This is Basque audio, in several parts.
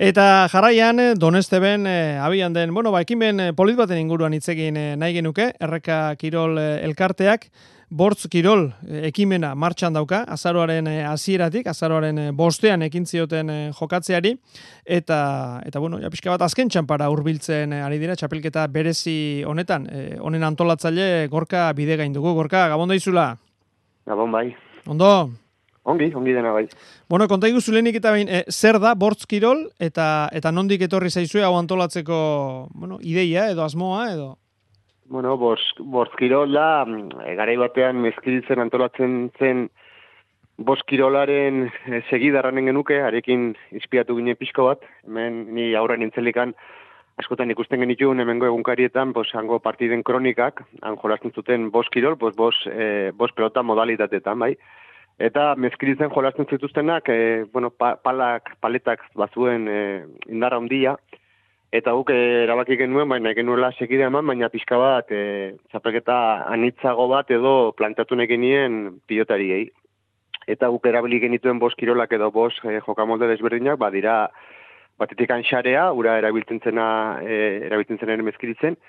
Eta jarraian, Donesteben abian den, ekimen polit baten inguruan hitz egin nahi genuke, Erreka Kirol elkarteak, Bortz Kirol ekimena martxan dauka, azaroaren hasieratik, azaroaren bostean ekin zioten jokatzeari, eta pixka bat azken txanpara hurbiltzen ari dira, txapelketa berezi honetan, honen antolatzaile Gorka Bidegain dugu. Gorka, gabon daizula? Gabon bai. Ondo? Ongi dena bai. Konta iguzu lehenik eta behin, zer da Bortz Kirol eta nondik etorri zaizue hau antolatzeko, ideia edo asmoa edo? Bortz Kirol da, garai batean mezkiritzen antolatzen zen Bortz Kirolaren segidarranen genuke, arekin inspiratu ginen pixko bat, hemen ni aurra nintzelikan askotan ikusten genituen hemengo egunkarietan, hango partiden kronikak, han jolasten zuten Bortz Kirol, Bortz pelota modalitatetan, bai. Eta mezkiritzen jolasten zituztenak, paletak bazuen indarra handia, eta guk erabaki genuen, baina genuela segide eman, baina pixka bat txapelketa anitzago bat edo plantatu negenien pilotariei. Eta guk erabili genituen Bortz Kirolak edo Bortz jokamolde desberdinak, dira batetikan xarea, ura erabiltzen zen mezkiritzen,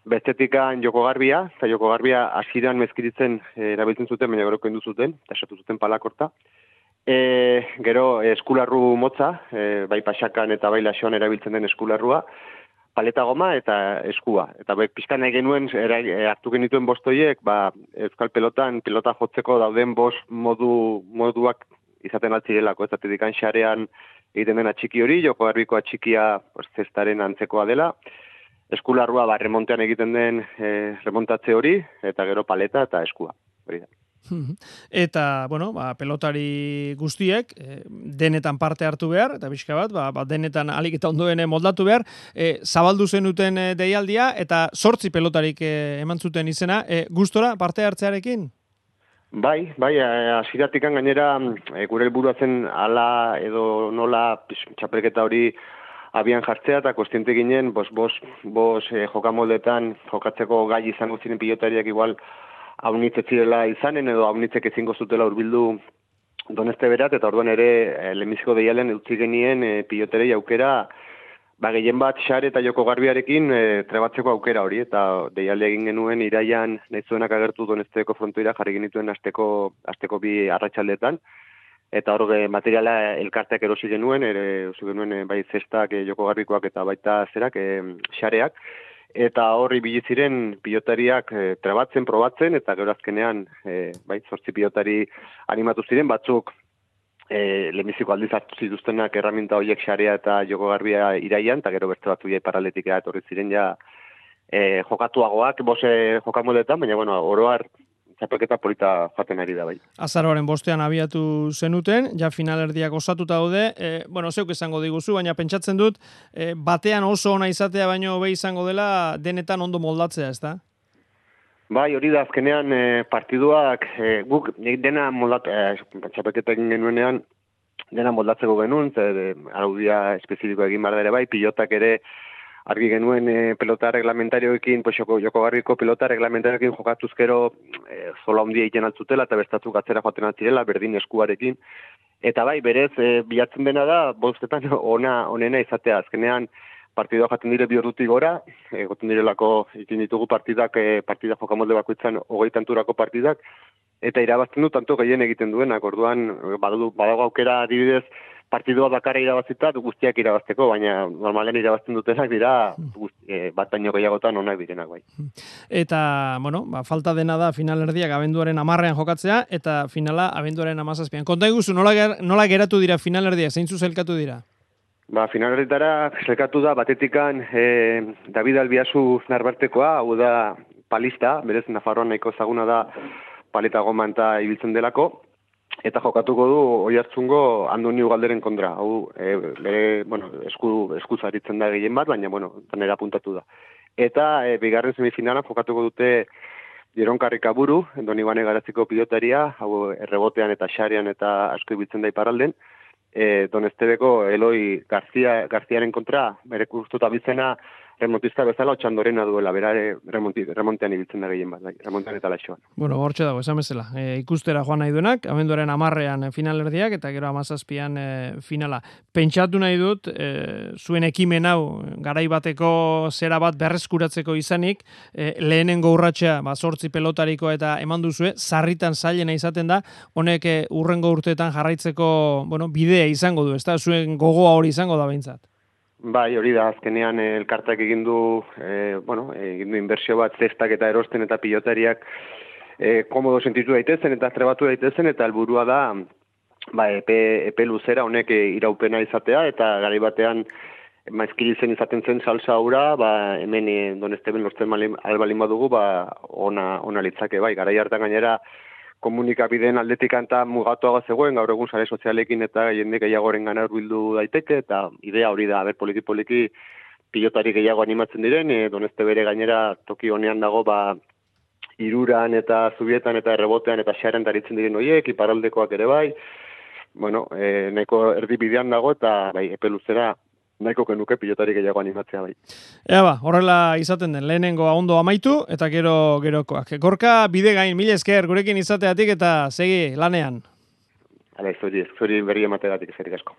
bestetikan Joko Garbia, eta Joko Garbia hasieran mezkiritzen erabiltzen zuten, baina gero kendu zuten, eta esatu zuten palakorta. Gero eskularru motza, bai pasakan eta bai lasoan erabiltzen den eskularrua, paleta goma eta eskua. Eta pixkan nahi genuen, hartu genituen bostoiek, euskal pelotan, pelota jotzeko dauden bost moduak izaten altzirelako, ez zatedikan xarean egiten den atxiki hori, Joko Garbiko atxikia zestaren antzekoa dela, eskularrua remontean egiten den remontatze hori, eta gero paleta eta eskua. Hori da. Eta, pelotari guztiek denetan parte hartu behar, eta pixka bat, denetan alik eta ondoen moldatu behar, zabaldu zenuten deialdia, eta 8 pelotarik eman zuten izena, gustora parte hartzearekin? Bai, hasieratik gainera gure helburua zen hala edo nola txapelketa hori abian jartzea eta kontziente ginen, jokamoldetan jokatzeko gai izango ziren pilotariak igual haunitzek zirela izanen edo haunitzek ezingo zutela hurbildu Donesteberat, eta orduan ere lehenbiziko deialen utzi genien piloterei aukera, gehien bat xare eta Joko Garbiarekin trebatzeko aukera hori, eta deialde egin genuen iraian nahi zuenak agertu Donesteko frontoira jarri genituen asteko bi arratsaldetan. Eta hor materiala elkarteak erosi genuen bai zestak Joko Garbikoak eta baita zerak, xareak, eta horri biliziren pilotariak trebatzen, probatzen, eta gero azkenean 8 pilotari animatu ziren, batzuk lehenbiziko aldiz hartu zituztenak erraminta horiek xarea eta Joko Garbia iraian, eta gero beste batzu paraletik etorri ziren jokatuagoak, jokamoldetan, baina oroar txapelketa polita jaten ari da bai. Azaroaren bostean abiatu zenuten, ja finalerdiak osatuta daude, zeuk esango diguzu, baina pentsatzen dut, batean oso ona izatea baino hobe izango dela denetan ondo moldatzea, ezta? Bai, hori da azkenean partiduak, guk dena txapelketa egin genuenean, dena moldatzeko genuen, araudia espezifiko egin behar ere bai, pilotak ere argi genuen pelota reglamentarioekin, Joko Garbiko pelota reglamentarioekin jokatuz gero zola handia egiten altzutela eta bestatzuk atzera joaten altzirela, berdin eskuarekin. Eta bai, berez, bilatzen dena da, bostetan onena izatea. Azkenean, partidua jaten dire 2 ordutik gora, egoten direlako egin ditugu partida jokamolde bakoitzan 20 tanturako partidak, eta irabazten du tanto gehien egiten duenak. Orduan, badago aukera adibidez, partidua bakarra irabazita guztiak irabazteko, baina normalen irabazten dutenak dira bat baino gehiagotan onak direnak bai. Eta, falta dena da finalerdiak abenduaren 10ean jokatzea, eta finala abenduaren 17ean. Konta iguzu, nola geratu dira finalerdiak, zeintzu zelkatu dira? Finalerdietara zelkatu da batetikan David Albiazu Narbartekoa, hau da palista, berez Nafarroan nahiko ezaguna da paleta goma eta ibiltzen delako, eta jokatuko du Oiartzungo Andoni Ugalderen kontra. Hau, eskuz aritzen da gehien bat, baina, tanera puntatu da. Eta bigarren semifinalan jokatuko dute Jeron Karrikaburu, Doni Bane Garatziko pilotaria, hau errebotean eta xarean eta asko ibiltzen da iparralden, Donestebeko Eloi Garziaren kontra, bere kustuta bizena remontista bezala otxandorena duela, berare remontean ibiltzen da gehien bat, remontean eta laixoan. Bueno, hortxe dago, esan bezala. Ikustera joan nahi duenak, abenduaren 10ean finalerdiak, eta gero 17an finala. Pentsatu nahi dut, zuen ekimen hau, garai bateko zera bat berreskuratzeko izanik, lehenengo urratsa 8 pelotariko eta eman duzue, sarritan zailena izaten da, honek urrengo urteetan jarraitzeko, bueno, bidea izango du, ezta? Zuen gogoa hori izango da behintzat. Bai, hori da, azkenean elkartak egin du inbertsio bat zestak eta erosten eta pilotariak komodo sentitu daitezen eta trebatu daitezen, eta helburua da epe luzera honek iraupena izatea, eta garai batean maizkiritzen izaten zen salsa hura, hemen Donesteben lortzen albalin badugu, ona litzake, bai, garai hartan gainera komunikabideen aldetik anta mugatuago zegoen, gaur egun sare sozialekin eta jende gehiagoren gana hurbildu daiteke, eta idea hori da, poliki pilotari gehiago animatzen diren, Doneste bere gainera toki honean dago, iruran eta zubietan eta errebotean eta xaren daritzen diren horiek, iparaldekoak ere bai, bueno, nahiko erdibidean dago, eta bai, epe luzera nahiko genuke pilotari gehiago animatzea bai. Ea horrela izaten den, lehenengoa ondo amaitu, eta gerokoak. Gorka, bide gain, mila esker, gurekin izateatik eta segi lanean. Hala, zuri berri emategatik, eskerrik asko.